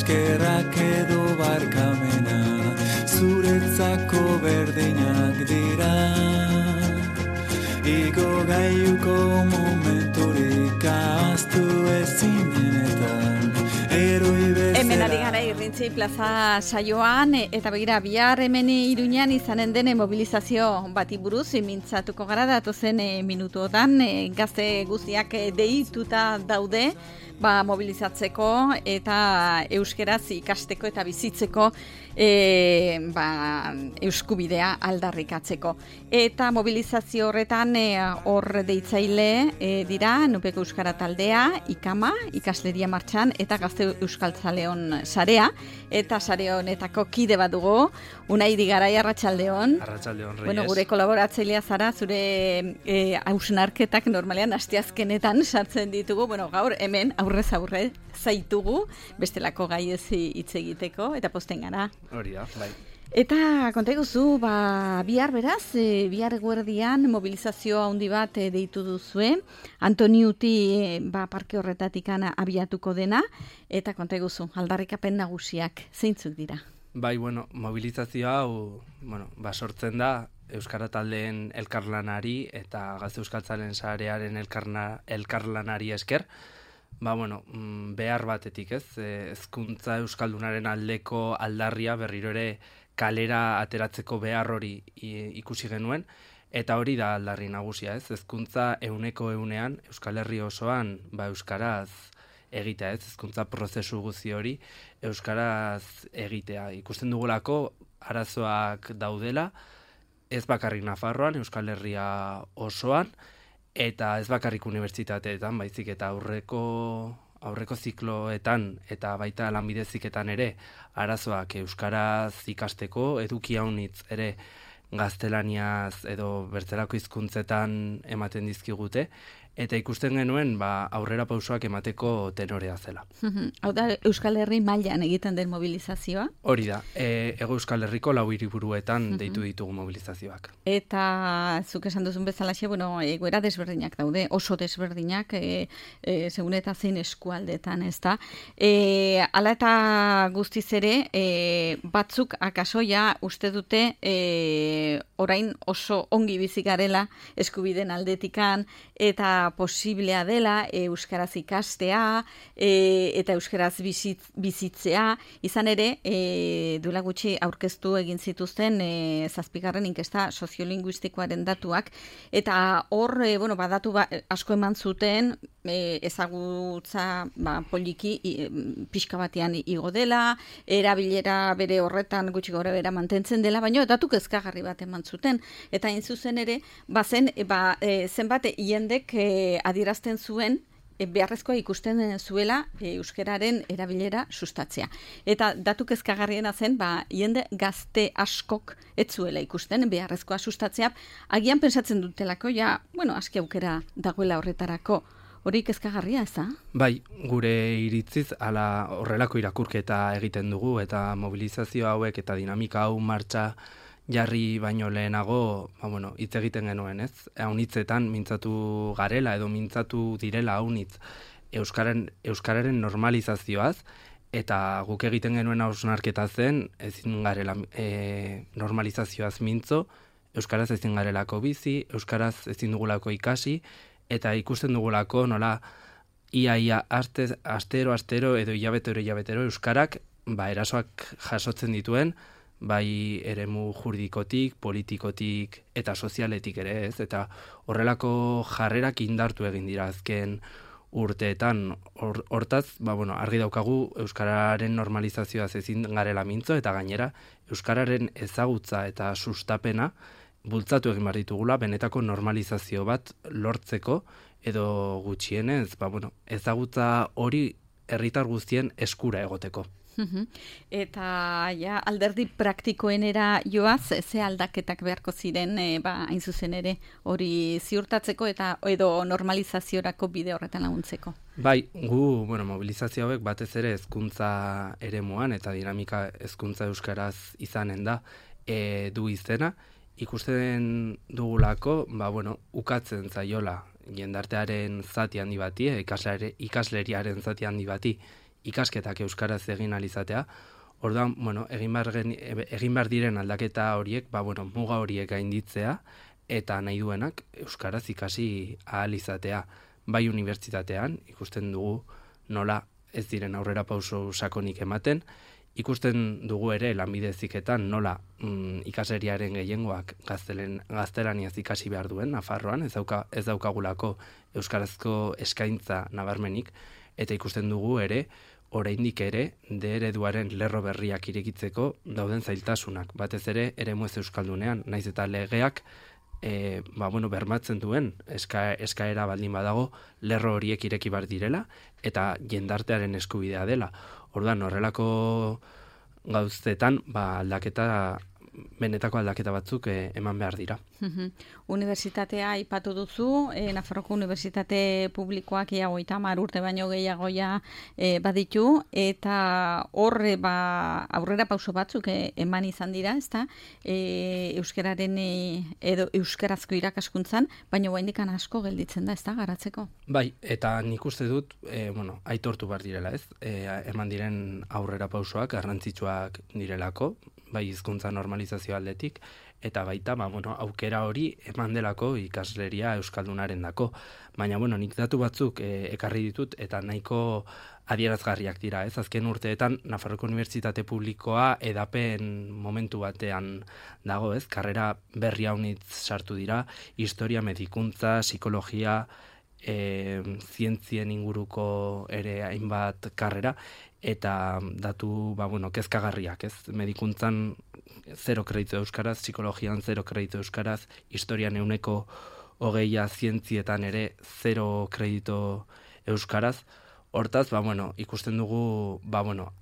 eskerrak edo barkamena, zuretzako berdinak dira. Igo gaiuko momenturik ahaztu ezinenetan, eroi bezala. Hemen ari gara Irrintzi plaza saioan, eta begira, bihar hemen Iruñan izanen den mobilizazio bati buruz mintzatuko gara datozen minutuotan, gazte guztiak deituta daude, mobilizatzeko eta euskeraz ikasteko eta bizitzeko euskubidea aldarrikatzeko. Eta mobilizazio horretan hor deitzaile dira Nupeko Euskara Taldea, Ikama, Ikasleria Martxan eta Gazte Euskaltzaleon sarea, eta sare honetako kide bat dugu, Unai Digarai, arratsaldeon. Arratsaldeon, Reyes. Bueno, gure kolaboratzailea zara, zure hausnarketak normalean asteazkenetan sartzen ditugu, gaur hemen aurrez aurre zaitugu, bestelako gai ez hitz egiteko, eta posten gara. Hori da, bai. Eta konta iguzu, bihar beraz, bihar eguerdian mobilizazio handi bat deitu duzue, Antoniuti parke horretatik abiatuko dena, eta konta iguzu, aldarrikapen nagusiak zeintzuk dira? Bai, mobilizazioa hau, sortzen da Euskara Taldeen elkarlanari eta Gazte Euskaltzalen sarearen elkarlanari esker, behar batetik ez, hezkuntza euskaldunaren aldeko aldarria berriro ere kalera ateratzeko behar hori ikusi genuen, eta hori da aldarri nagusia ez, hezkuntza 100% Euskal Herri osoan euskaraz egitea ez, hezkuntza prozesu guzti hori euskaraz egitea. Ikusten dugulako arazoak daudela, ez bakarrik Nafarroan, Euskal Herria osoan, eta ez bakarrik unibertsitateetan, baizik eta aurreko zikloetan eta baita lanbide heziketan ere arazoak euskaraz ikasteko, eduki haunitz ere gaztelaniaz edo bertzelako hizkuntzetan ematen dizkigute, eta ikusten genuen aurrera pausoak emateko tenorea zela. Hau da, Euskal Herri mailan egiten den mobilizazioa? Hori da, Hego Euskal Herriko 4 hiriburuetan deitu ditugu mobilizazioak. Eta zuk esan duzun bezalaxe, egoera desberdinak daude, oso desberdinak, segun eta zein eskualdetan, ez da. Hala eta guztiz ere, batzuk akasoia uste dute orain oso ongi bizi garela eskubideen aldetikan, eta posiblea dela euskaraz ikastea eta euskaraz bizitzea, izan ere duela gutxi aurkeztu egin zituzten 7. inkesta soziolinguistikoaren datuak, eta hor datu asko eman zuten ezagutza poliki pixka batean igo dela, erabilera bere horretan gutxi gora bera mantentzen dela, baina datu kezkagarri bat eman zuten, eta hain zuzen ere zenbat jendek adierazten zuen beharrezkoa ikusten zuela euskararen erabilera sustatzea. Eta datu kezkagarriena zen, jende gazte askok ez zuela ikusten beharrezkoa sustatzea, agian pensatzen dutelako, aski aukera dagoela horretarako. Hori kezkagarria, ez da? Bai, gure iritziz, horrelako irakurketa egiten dugu, eta mobilizazio hauek eta dinamika hau martxa jarri baino lehenago, hitz egiten genuen, ez? Haunitzetan mintzatu garela edo mintzatu direla haunitz euskararen normalizazioaz, eta guk egiten genuen hausnarketa zen, ezin garela normalizazioaz mintzo, euskaraz ezin garelako bizi, euskaraz ezin dugulako ikasi, eta ikusten dugulako nola ia astero edo hilabetero euskarak erasoak jasotzen dituen, bai eremu juridikotik, politikotik eta sozialetik ere ez, eta horrelako jarrerak indartu egin dira azken urteetan. Hortaz, argi daukagu euskararen normalizazioaz ezin garela mintzo, eta gainera euskararen ezagutza eta sustapena bultzatu egin behar ditugula benetako normalizazio bat lortzeko, edo gutxienez, ezagutza hori herritar guztien eskura egoteko. Eta alderdi praktikoenera joaz, ze aldaketak beharko ziren, hain zuzen ere, hori ziurtatzeko eta edo normalizaziorako bide horretan laguntzeko? Bai, gu mobilizazio hauek batez ere hezkuntza eremuan eta dinamika hezkuntza euskaraz izanen da du izena, ikusten dugulako, ukatzen zaiola jendartearen zati handi bati, ikasleriaren zati handi bati ikasketak euskaraz egin alizatea. Orduan, bueno, egin behar diren aldaketa horiek, muga horiek gainditzea, eta nahi duenak euskaraz ikasi ahal izatea. Bai unibertsitatean, ikusten dugu nola ez diren aurrera pauso sakonik ematen, ikusten dugu ere lanbide heziketan nola ikasleriaren gehiengoak gaztelaniaz ikasi behar duen, Nafarroan, ez daukagulako euskarazko eskaintza nabarmenik, eta ikusten dugu ere, oraindik ere, ereduaren lerro berriak irekitzeko dauden zailtasunak. Batez ere, eremu ez euskaldunean, naiz eta legeak bermatzen duen eskaera baldin badago lerro horiek ireki bar direla eta jendartearen eskubidea dela. Orduan, horrelako gauzetan benetako aldaketa batzuk eman behar dira. Unibertsitatea aipatu duzu, Nafarroko Unibertsitate Publikoak ia 30 urte baino gehiagoia baditu, eta horre aurrera pauso batzuk eman izan dira, ezta? Euskararen edo euskarazko irakaskuntzan, baina oraindik asko gelditzen da, ezta, garatzeko? Bai, eta nik uste dut, aitortu behar direla, ez? Eman diren aurrera pausoak garrantzitsuak direlako, bai hizkuntza normalizazio aldetik, eta baita, aukera hori eman delako ikasleria euskaldunaren dako. Baina, nik datu batzuk ekarri ditut, eta nahiko adierazgarriak dira, ez? Azken urteetan, Nafarroko Unibertsitate Publikoa edapen momentu batean dago, ez? Karrera berri haunitz sartu dira, historia, medikuntza, psikologia, zientzien inguruko ere hainbat karrera, eta datu, kezkagarriak, ez? Medikuntzan 0 kredito euskaraz, psikologian 0 kredito euskaraz, historian 20%, zientzietan ere 0 kredito euskaraz. Hortaz, ikusten dugu,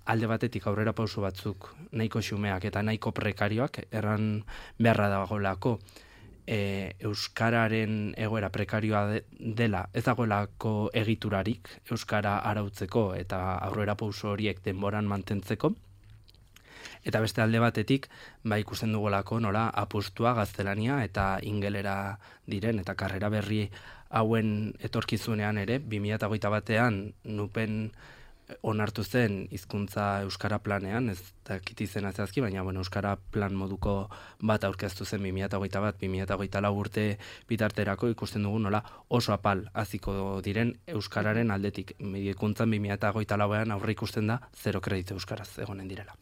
alde batetik aurrera pauso batzuk nahiko xumeak eta nahiko prekarioak, erran beharra dagoelako, euskararen egoera prekarioa dela, ez dagoelako egiturarik euskara arautzeko eta aurrera pauso horiek denboran mantentzeko. Eta beste alde batetik, ikusten dugulako nola apustua gaztelania eta ingelera diren, eta karrera berri hauen etorkizunean ere, 2021an nupen onartu zen hizkuntza euskara planean, ez dakit izena zehazki, baina euskara plan moduko bat aurkeztu zen 2021-2024 urte bitarterako, ikusten dugu nola oso apal hasiko diren euskararen aldetik. Medikuntzan 2024an aurre ikusten da 0 kredito euskaraz egonen direla.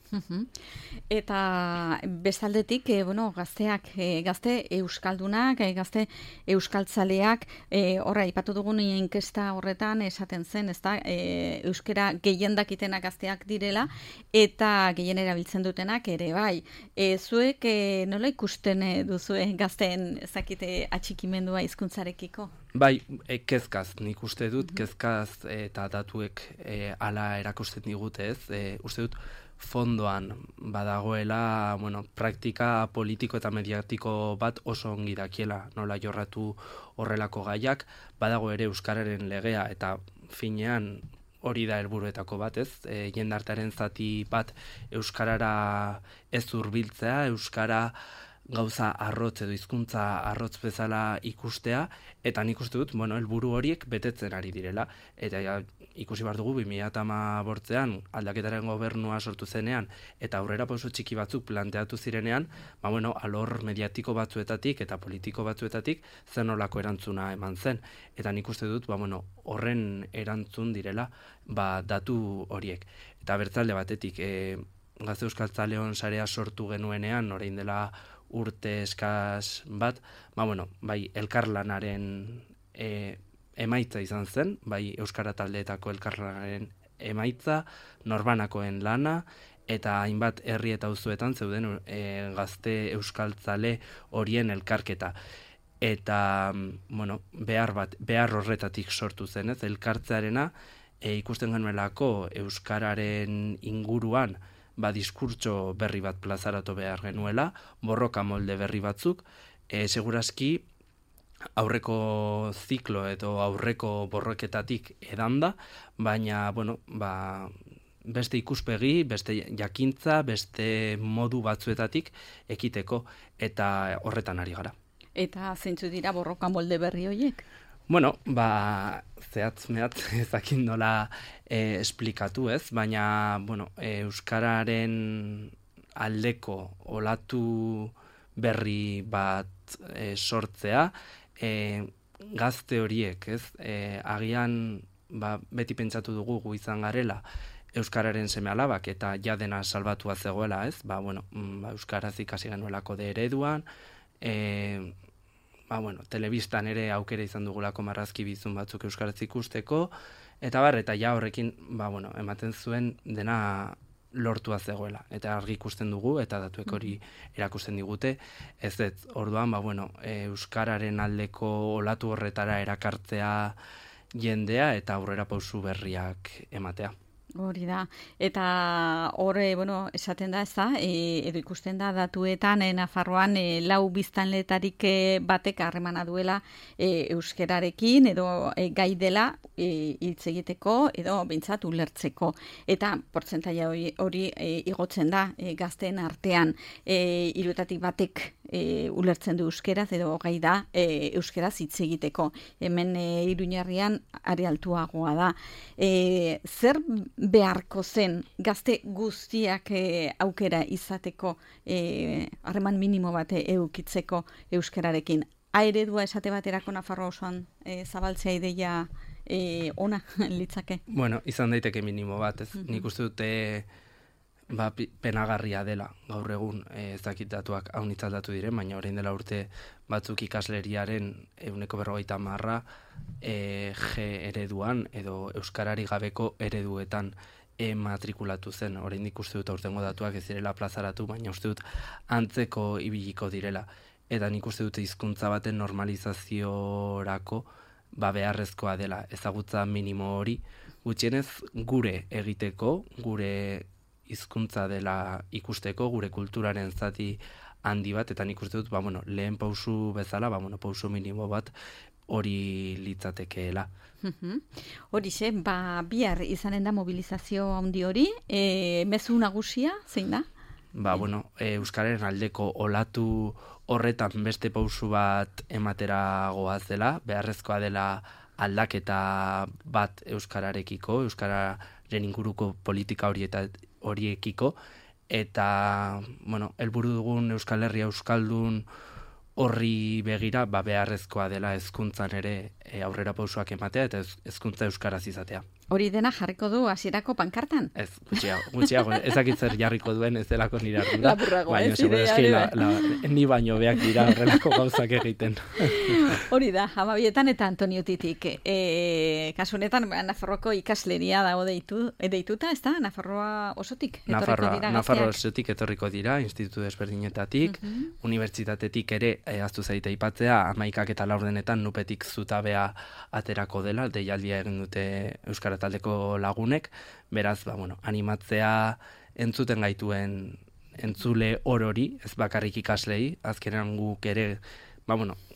Eta bestaldetik, gazteak, gazte euskaldunak, gazte euskaltzaleak, horra ipatu dugun inkesta horretan esaten zen, ezta, euskara gehien dakitenak gazteak direla, eta gehien erabiltzen dutenak ere bai. Zuek nola ikusten duzue gazteen zakite atxikimendua hizkuntzarekiko? Bai, kezkaz, nik uste dut, kezkaz eta datuek ala erakusten digute, ez? Uste dut, fondoan badagoela, praktika politiko eta mediatiko bat oso ongi dakiela nola jorratu horrelako gaiak, badago ere euskararen legea eta finean hori da helburuetako bat, ez? Jendartearen zati bat euskarara ez hurbiltzea, euskara gauza arrotz edo hizkuntza arrotz bezala ikustea, eta nik uste dut, helburu horiek betetzen ari direla, eta ikusi behar dugu 2018an aldaketaren gobernua sortu zenean, eta aurrera pauso txiki batzuk planteatu zirenean, alor mediatiko batzuetatik eta politiko batzuetatik zen olako erantzuna eman zen, eta nik uste dut, horren erantzun direla, datu horiek. Eta bertzalde batetik, Gazte Euskaltzaleon sarea sortu genuenean, orain dela urte eskaz bat, bai elkarlanaren emaitza izan zen, bai euskara taldeetako elkarlanaren emaitza, norbanakoen lana, eta hainbat herri eta auzoetan zeuden gazte euskaltzale horien elkarketa. Eta, behar horretatik sortu zen, ez, elkartzearena, ikusten genuelako euskararen inguruan, diskurtso berri bat plazaratu behar genuela, borroka molde berri batzuk, segurazki aurreko ziklo edo aurreko borroketatik edanda, baina, beste ikuspegi, beste jakintza, beste modu batzuetatik ekiteko, eta horretan ari gara. Eta zeintzu dira borroka molde berri horiek? zehatz-mehatz ezakin nola esplikatu, ez? Baina, bueno, euskararen aldeko olatu berri bat sortzea, gazte horiek, ez? Agian, beti pentsatu dugu gu izan garela euskararen seme-alabak eta ja dena salbatua zegoela, ez? Euskaraz ikasi genuelako de ereduan, telebistan ere aukera izan dugulako marrazki bizun batzuk euskaraz ikusteko, eta ja horrekin, ematen zuen dena lortua zegoela. Eta argi ikusten dugu, eta datuek hori erakusten digute, orduan, euskararen aldeko olatu horretara erakartzea jendea eta aurrera pausu berriak ematea. Hori da, eta hori, esaten da, ez da, edo ikusten da datuetan, Nafarroan lau biztanletarik batek harremana duela euskerarekin, edo gai dela hitz egiteko, edo behintzat ulertzeko. Eta portzentaia hori igotzen da gazteen artean, 3 batek ulertzen du euskeraz, edo gai da euskeraz hitz egiteko. Hemen Iruñerrian are altuagoa da. Zer beharko zen gazte guztiak aukera izateko harreman minimo bat eukitzeko euskerarekin? Eredua esate baterako Nafarroa osoan zabaltzea ideia ona litzake? Izan daiteke minimo bat, ez? Nik uste dute penagarria dela gaur egun ezakitatuak haunitzaldatu diren, baina orain dela urte batzuk ikasleriaren 40% G ereduan edo euskarari gabeko ereduetan matrikulatu zen. Orain ikuste dut aurtengo datuak ez direla plazaratu, baina uste dut antzeko ibiliko direla. Eta nik uste dut hizkuntza baten normalizaziorako beharrezkoa dela ezagutza minimo hori, gutxienez gure egiteko, gure hizkuntza dela ikusteko, gure kulturaren zati handi bat, eta nik uste dut, lehen pausu bezala, pausu minimo bat hori litzatekeela. Horixe, bihar izanen da mobilizazio handi hori, mezu nagusia, zein da? Euskararen aldeko olatu horretan beste pausu bat ematera goazela, beharrezkoa dela aldaketa bat euskararekiko, euskararen inguruko politika horiekiko, eta, helburu dugun Euskal Herria euskaldun horri begira, beharrezkoa dela hezkuntzan ere aurrera pausoak ematea eta hezkuntza euskaraz izatea. Hori dena jarriko du hasierako pankartan? Ez, gutxiago, ezakitzer jarriko duen ez delako nire ardura. Lapurragoa, ez ni baino beak dira horrelako gauzak egiten. Hori da, Amabietan eta Antoniotitik. Kasu honetan, Nafarroako ikasleria dago deituta, ez da? Nafarroa osotik etorriko dira gazteak? Nafarroa osotik etorriko dira, institutu desberdinetatik, unibertsitatetik ere, aztu zaite aipatzea, 11 eta 4 nupetik zutabea aterako dela, deialdia egin dute Euskara taldeko lagunek, beraz, animatzea entzuten gaituen entzule orori, ez bakarrik ikaslei, azkenean guk ere,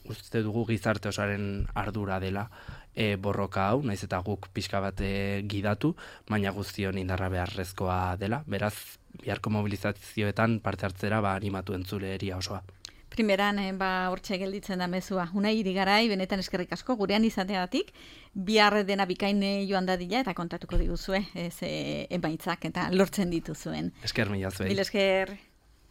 uste dugu gizarte osaren ardura dela borroka hau, naiz eta guk pixka bat gidatu, baina guztion indarra beharrezkoa dela, beraz, biharko mobilizazioetan parte hartzera animatu entzuleria osoa. Primeran, hortxe gelditzen da mezua. Unai Irigarai, benetan eskerrik asko, gurean izateagatik, bihar dena bikain joan dadila eta kontatuko diguzue, emaitzak eta lortzen dituzuen. Esker mila zuei. Mil esker.